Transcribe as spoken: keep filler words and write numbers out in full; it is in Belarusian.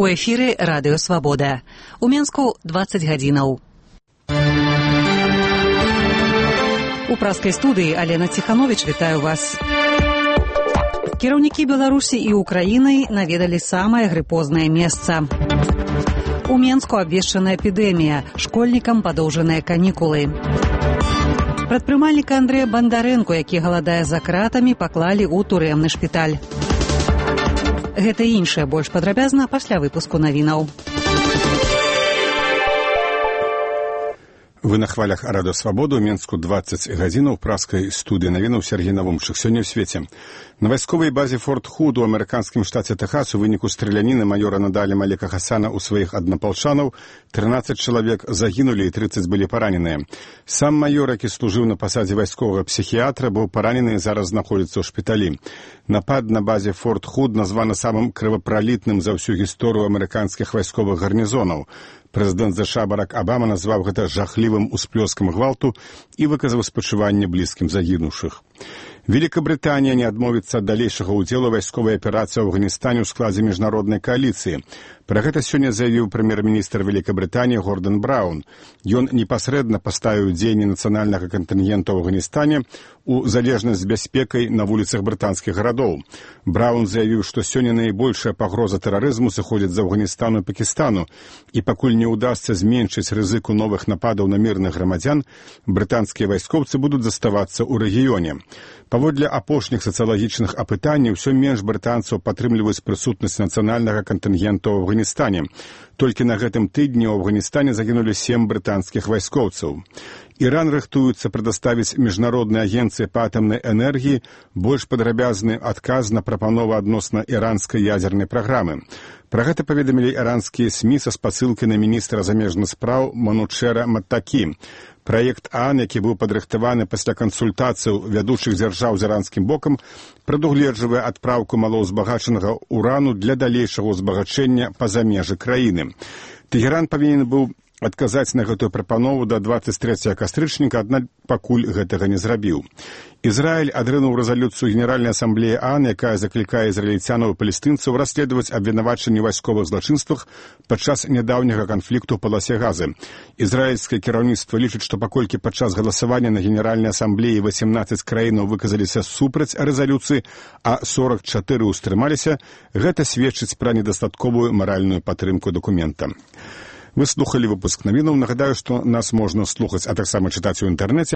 У эфіры Радыё Свабода. У Менску дваццаць гадзінаў. У праскай студыі Алена Ціхановіч вітаю вас. Кіраўнікі Беларусі і Украіны наведалі самае грыпознае месца. У Менску абвешчана эпідэмія, школьнікам падоўжаныя канікулы. Прадпрымальніка Андрэя Бандарэнку, які галадае за кратамі, паклалі ў турэмны шпіталь. Гэта і іншае больш падрабязна пасля выпуску навінаў. Вы на хвалях Радыё Свабода, у Менску дваццаць гадзінаў, праскай студыі навінаў Сергей Навумчык. Сёння ў свеце. На вайсковай базе Форт Худ у амерыканскім штаце Тэхас у выніку страляніны маёра Надалі Малека Хасана ў сваіх аднапалчанаў трынаццаць чалавек загінулі і трыццаць былі параненыя. Сам маёр, які служыў на пасадзе вайсковага псіхіятра, быў паранены і зараз знаходзіцца ў шпіталі. Напад на базе Форт Худ названы самым крывапралітным за ўсю гісторыю амерыканскіх вайсковых гарнізонаў. Прэзідэнт ЗША Барак Абама назваў гэта жахлівым усплёскам гвалту і выказаў спачуванне блізкім загінуўшых. Великабрытанія не адмовіцца ад далейшага ўдзелу вайсковай аперацыі ў Афганістане ў складзе міжнароднай кааліцыі. Пра гэта сёння заявіў прэм'ер-міністр Великабрытаніі Гордон Браун. Ён непасрэдна паставіў дзеянні нацыянальнага кантынгента ў Афганістане у залежнасць з бяспекай на вуліцах брытанскіх гарадоў. Браун заявіў, што сёння найбольшая пагроза тэрарызму сыходзіць з Афганістану і Пакістану, і пакуль не ўдасца зменшыць рызыку новых нападаў на мірных грамадзян, брытанскія вайскоўцы будуць заставацца ў рэгіёне. Паводле апошніх сацыялагічных апытанняў, усё менш брытанцаў падтрымліваюць прысутнасць нацыянальнага кантынгента ў Афганістане. Толькі на гэтым тыдні ў Афганістане загінулі сем брытанскіх вайскоўцаў. Іран рыхтуецца прадаставіць міжнароднай агенцыі па атамнай энергіі больш падрабязны адказ на прапанову адносна іранскай ядзернай праграмы. Пра гэта паведамілі іранскія СМІ са спасылкай на міністра замежных спраў Манучэра Маттакі. Праект ААН, які быў падрыхтаваны пасля кансультацыяў вядучых дзяржаў з іранскім бокам, прадугледжвае адпраўку малаўзбагачанага урану для далейшага ўзбагачэння па-за межы краіны. Тэгеран павінен быў адказаць на гэтую прапанову да дваццаць трэцяга кастрычніка, аднак пакуль гэтага не зрабіў. Ізраіль адрынуў рэзалюцыю Генеральнай асамблеі ААН, якая заклікае ізраільцянаў і палестынцаў расследаваць абвінавачанні ў вайсковых злачынствах падчас нядаўняга канфлікту ў паласе Газы. Ізраільскае кіраўніцтва лічыць, што паколькі падчас галасавання на Генеральнай асамблеі васемнаццаць краінаў выказаліся супраць рэзалюцыі, а сорак чатыры ўстрымаліся, гэта сведчыць пра недастатковую маральную падтрымку дакумента. Вы слухалі выпуск навінаў. Нагадаю, што нас можна слухаць, а таксама чытаць у інтэрнэце